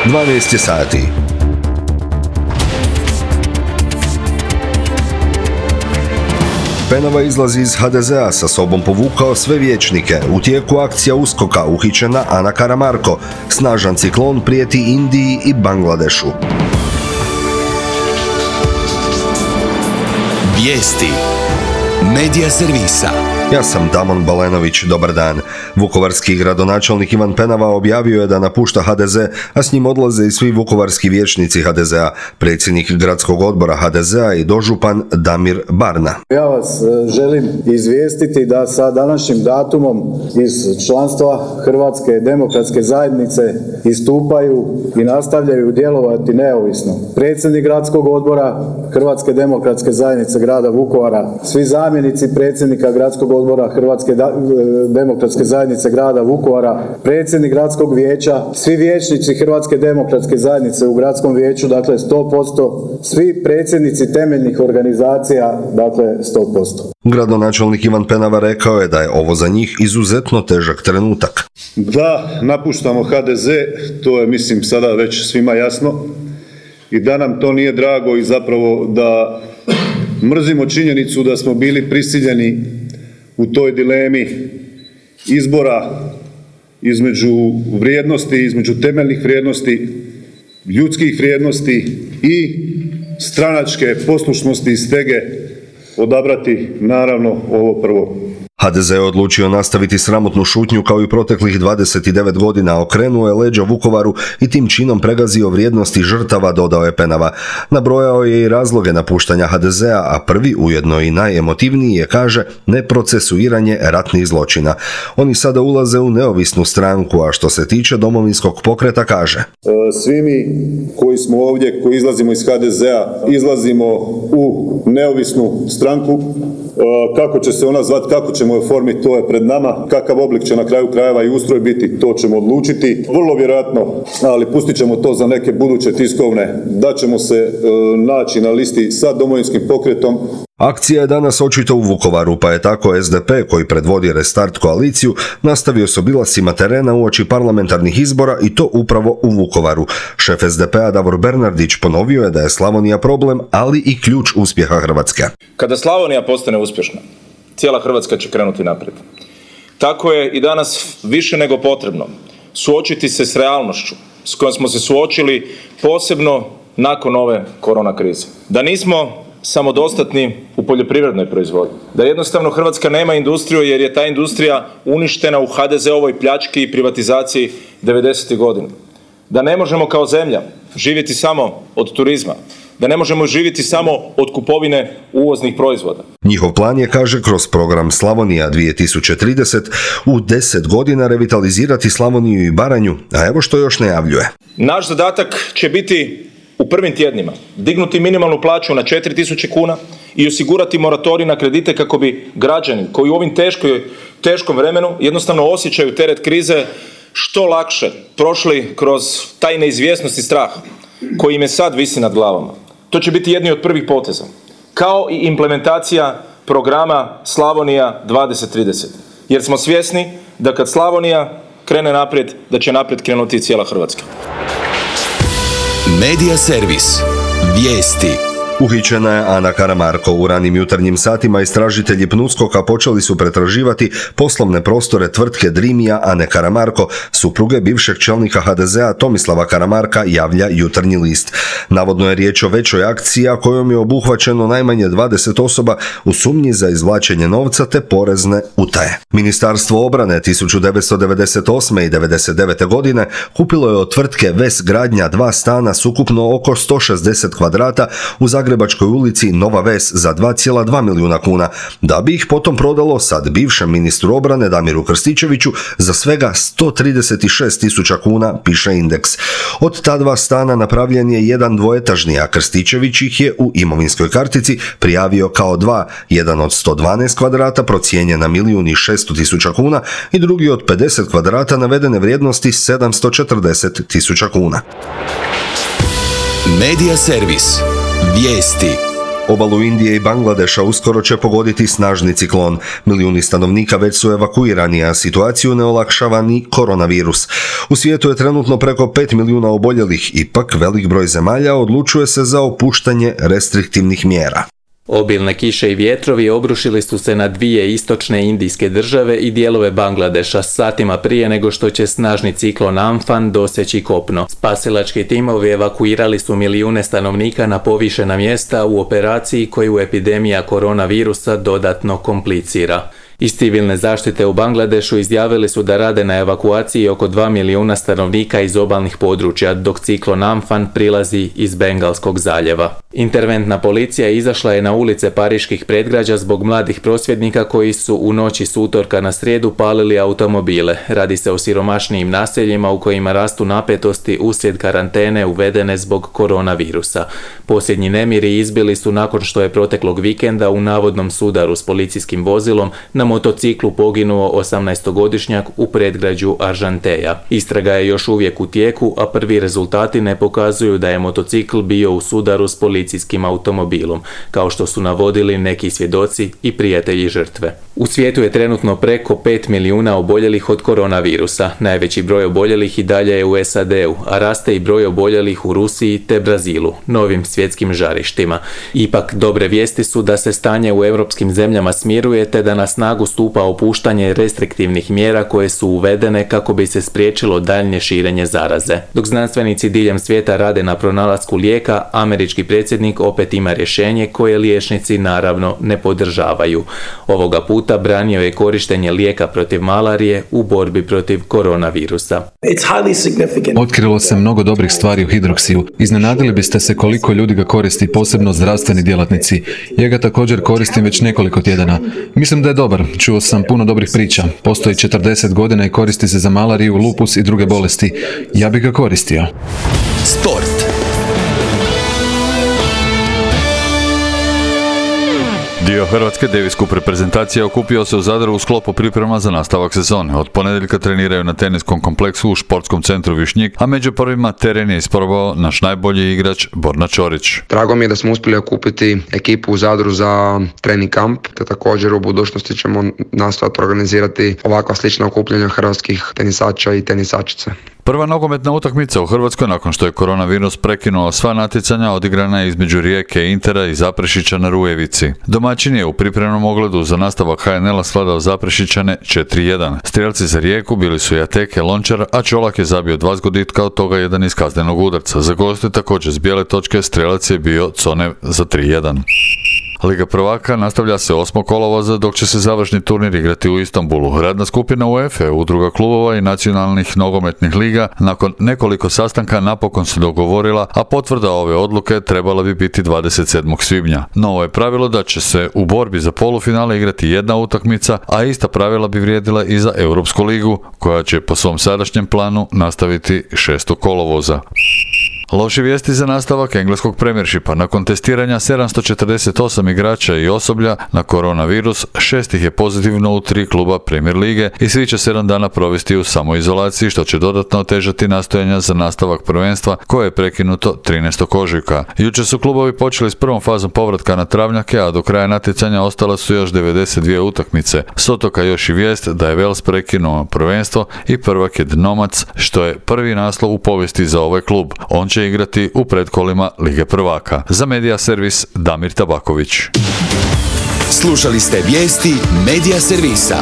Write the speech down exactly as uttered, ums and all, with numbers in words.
dvanaest je sati. Penava izlazi iz ha de zea, sa sobom povukao sve vijećnike. U tijeku akcija uskoka, uhićena Ana Karamarko. Snažan ciklon prijeti Indiji i Bangladešu. Vijesti Medija servisa. Ja sam Damon Balenović, dobar dan. Vukovarski gradonačelnik Ivan Penava objavio je da napušta ha de ze, a s njim odlaze i svi vukovarski vijećnici ha de zea, predsjednik gradskog odbora ha de zea i dožupan Damir Barna. Ja vas želim izvijestiti da sa današnjim datumom iz članstva Hrvatske demokratske zajednice istupaju i nastavljaju djelovati neovisno predsjednik gradskog odbora Hrvatske demokratske zajednice grada Vukovara, svi zamjenici predsjednika gradskog odbora Hrvatske demokratske zajednice grada Vukovara, predsjednik gradskog vijeća, svi vijećnici Hrvatske demokratske zajednice u gradskom vijeću, dakle sto posto, svi predsjednici temeljnih organizacija, dakle sto posto. Gradonačelnik Ivan Penava rekao je da je ovo za njih izuzetno težak trenutak. Da, napuštamo ha de ze, to je mislim sada već svima jasno, i da nam to nije drago i zapravo da mrzimo činjenicu da smo bili prisiljeni u toj dilemi izbora između vrijednosti, između temeljnih vrijednosti, ljudskih vrijednosti i stranačke poslušnosti i stege odabrati naravno ovo prvo. ha de ze je odlučio nastaviti sramotnu šutnju kao i proteklih dvadeset devet godina, okrenuo je leđa Vukovaru i tim činom pregazio vrijednosti žrtava, dodao je Penava. Nabrojao je i razloge napuštanja ha de zea, a prvi, ujedno i najemotivniji, je, kaže, neprocesuiranje ratnih zločina. Oni sada ulaze u neovisnu stranku, a što se tiče Domovinskog pokreta, kaže: Svi mi koji smo ovdje, koji izlazimo iz ha de zea, izlazimo u neovisnu stranku. Kako će se ona zvati, kako ćemo je oformiti, to je pred nama. Kakav oblik će na kraju krajeva i ustroj biti, to ćemo odlučiti. Vrlo vjerojatno, ali pustit ćemo to za neke buduće tiskovne, da ćemo se e, naći na listi sa Domovinskim pokretom. Akcija je danas očito u Vukovaru, pa je tako es de pe, koji predvodi Restart koaliciju, nastavio s obilascima terena uoči parlamentarnih izbora, i to upravo u Vukovaru. Šef es de pea Davor Bernardić ponovio je da je Slavonija problem, ali i ključ uspjeha Hrvatske. Kada Slavonija postane uspješna, cijela Hrvatska će krenuti naprijed. Tako je i danas više nego potrebno suočiti se s realnošću s kojom smo se suočili, posebno nakon ove korona krize. Da nismo samodostatni u poljoprivrednoj proizvodnji. Da jednostavno Hrvatska nema industriju jer je ta industrija uništena u ha de zeovoj pljački i privatizaciji devedesetih godina. Da ne možemo kao zemlja živjeti samo od turizma. Da ne možemo živjeti samo od kupovine uvoznih proizvoda. Njihov plan je, kaže, kroz program Slavonija dvije tisuće trideset u deset godina revitalizirati Slavoniju i Baranju, a evo što još najavljuje. Naš zadatak će biti u prvim tjednima dignuti minimalnu plaću na četiri tisuće kuna i osigurati moratorij na kredite kako bi građani koji u ovim teškoj, teškom vremenu jednostavno osjećaju teret krize što lakše prošli kroz taj neizvjesnost i strah koji im je sad visi nad glavama. To će biti jedni od prvih poteza, kao i implementacija programa Slavonija dvadeset trideset. Jer smo svjesni da kad Slavonija krene naprijed, da će naprijed krenuti i cijela Hrvatska. Medija servis. Vijesti. Uhićena je Ana Karamarko. U ranim jutarnjim satima istražitelji PNUSKOK-a počeli su pretraživati poslovne prostore tvrtke Drimija Ane Karamarko, supruge bivšeg čelnika ha de zea Tomislava Karamarka, javlja Jutarnji list. Navodno je riječ o većoj akciji, a kojom je obuhvaćeno najmanje dvadeset osoba u sumnji za izvlačenje novca te porezne utaje. Ministarstvo obrane tisuću devetsto devedeset osme. i devedeset devete. godine kupilo je od tvrtke Ves Gradnja dva stana s ukupno oko sto šezdeset kvadrata u Zagrebačkoj ulici Nova Ves za dva zarez dva milijuna kuna, da bi ih potom prodalo sad bivšem ministru obrane Damiru Krstičeviću za svega sto trideset šest tisuća kuna, piše Indeks. Od ta dva stana napravljen je jedan dvoetažni, a Krstičević ih je u imovinskoj kartici prijavio kao dva, jedan od sto dvanaest kvadrata procijenjen na milijun i šesto tisuća kuna i drugi od pedeset kvadrata navedene vrijednosti sedamsto četrdeset tisuća kuna. Medija servis. Vijesti. Obalu Indije i Bangladeša uskoro će pogoditi snažni ciklon. Milijuni stanovnika već su evakuirani, a situaciju ne olakšava ni koronavirus. U svijetu je trenutno preko pet milijuna oboljelih, ipak velik broj zemalja odlučuje se za opuštanje restriktivnih mjera. Obilne kiše i vjetrovi obrušili su se na dvije istočne indijske države i dijelove Bangladeša satima prije nego što će snažni ciklon Amphan doseći kopno. Spasilački timovi evakuirali su milijune stanovnika na povišena mjesta u operaciji koju epidemija koronavirusa dodatno komplicira. Iz civilne zaštite u Bangladešu izjavili su da rade na evakuaciji oko dva milijuna stanovnika iz obalnih područja, dok ciklon Amphan prilazi iz Bengalskog zaljeva. Interventna policija izašla je na ulice pariških predgrađa zbog mladih prosvjednika koji su u noći s utorka na srijedu palili automobile. Radi se o siromašnijim naseljima u kojima rastu napetosti uslijed karantene uvedene zbog koronavirusa. Posljednji nemiri izbili su nakon što je proteklog vikenda u navodnom sudaru s policijskim vozilom na motociklu poginuo osamnaestogodišnjak u predgrađu Aržanteja. Istraga je još uvijek u tijeku, a prvi rezultati ne pokazuju da je motocikl bio u sudaru s policijskim automobilom, kao što su navodili neki svjedoci i prijatelji žrtve. U svijetu je trenutno preko pet milijuna oboljelih od koronavirusa. Najveći broj oboljelih i dalje je u S A D-u, a raste i broj oboljelih u Rusiji te Brazilu, novim svjetskim žarištima. Ipak, dobre vijesti su da se stanje u europskim zemljama smiruje te da na snagu stupa opuštanje restriktivnih mjera koje su uvedene kako bi se spriječilo daljnje širenje zaraze. Dok znanstvenici diljem svijeta rade na pronalasku lijeka, američki predsjednik opet ima rješenje koje liječnici naravno ne podržavaju. Ovoga puta branio je korištenje lijeka protiv malarije u borbi protiv koronavirusa. Otkrilo se mnogo dobrih stvari u hidroksiju. Iznenadili biste se koliko ljudi ga koristi, posebno zdravstveni djelatnici. Ja ga također koristim već nekoliko tjedana. Mislim da je dobar. Čuo sam puno dobrih priča. Postoji četrdeset godina i koristi se za malariju, lupus i druge bolesti. Ja bih ga koristio. Sport. Dio hrvatske Davis Cup reprezentacije okupio se u Zadru u sklopu priprema za nastavak sezone. Od ponedjeljka treniraju na teniskom kompleksu u športskom centru Višnjik, a među prvima teren je isprobao naš najbolji igrač Borna Ćorić. Drago mi je da smo uspjeli okupiti ekipu u Zadru za trening kamp, te također u budućnosti ćemo nastojati organizirati ovakva slična okupljanja hrvatskih tenisača i tenisačice. Prva nogometna utakmica u Hrvatskoj nakon što je koronavirus prekinuo sva natjecanja odigrana je između Rijeke, Intera i Zaprešića na Rujevici. Domaćin je u pripremnom ogledu za nastavak H N L-a svladao Zaprešićane četiri jedan. Strijelci za Rijeku bili su Jateke, Lončar, a Čolak je zabio dva zgoditka, od toga jedan iz kaznenog udarca. Za goste također s bijele točke strijelac je bio Conev za tri jedan. Liga prvaka nastavlja se osmog kolovoza dok će se završni turnir igrati u Istanbulu. Radna skupina UEFA, udruga klubova i nacionalnih nogometnih liga nakon nekoliko sastanka napokon se dogovorila, a potvrda ove odluke trebala bi biti dvadeset sedmog svibnja. Novo je pravilo da će se u borbi za polufinale igrati jedna utakmica, a ista pravila bi vrijedila i za Europsku ligu, koja će po svom sadašnjem planu nastaviti šestog kolovoza. Loše vijesti za nastavak engleskog premiershipa. Nakon testiranja sedamsto četrdeset osam igrača i osoblja na koronavirus, šest ih je pozitivno u tri kluba Premier lige i svi će sedam dana provesti u samoizolaciji, što će dodatno otežati nastojanja za nastavak prvenstva koje je prekinuto trinaestog ožujka. Jučer su klubovi počeli s prvom fazom povratka na travnjake, a do kraja natjecanja ostale su još devedeset dvije utakmice. S otoka još i vijest da je Wales prekinuo prvenstvo i prvak je Dnomac, što je prvi naslov u povijesti za ovaj klub. On će igrati u predkolima Lige prvaka. Za Medija servis Damir Tabaković. Slušali ste vijesti Medija servisa.